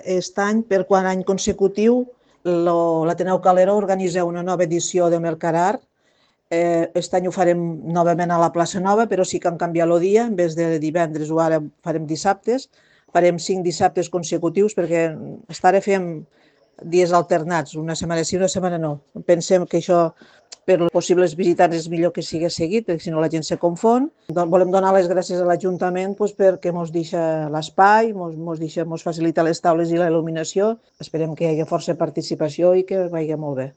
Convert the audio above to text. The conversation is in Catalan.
Aquest any, per quart any consecutiu, l'Ateneu Calero organitza una nova edició de Mercarar. Aquest any ho farem novament a la plaça Nova, però sí que han canviat el dia, en vez de divendres o ara farem dissabtes. Farem 5 dissabtes consecutius perquè fins ara fem dies alternats, una setmana sí, una setmana no. Pensem que això per als possibles visitants és millor que sigui seguit, perquè si no la gent se confon. Volem donar les gràcies a l'Ajuntament perquè ens deixa l'espai, ens facilita les taules i la il·luminació. Esperem que hi hagi força participació i que vagi molt bé.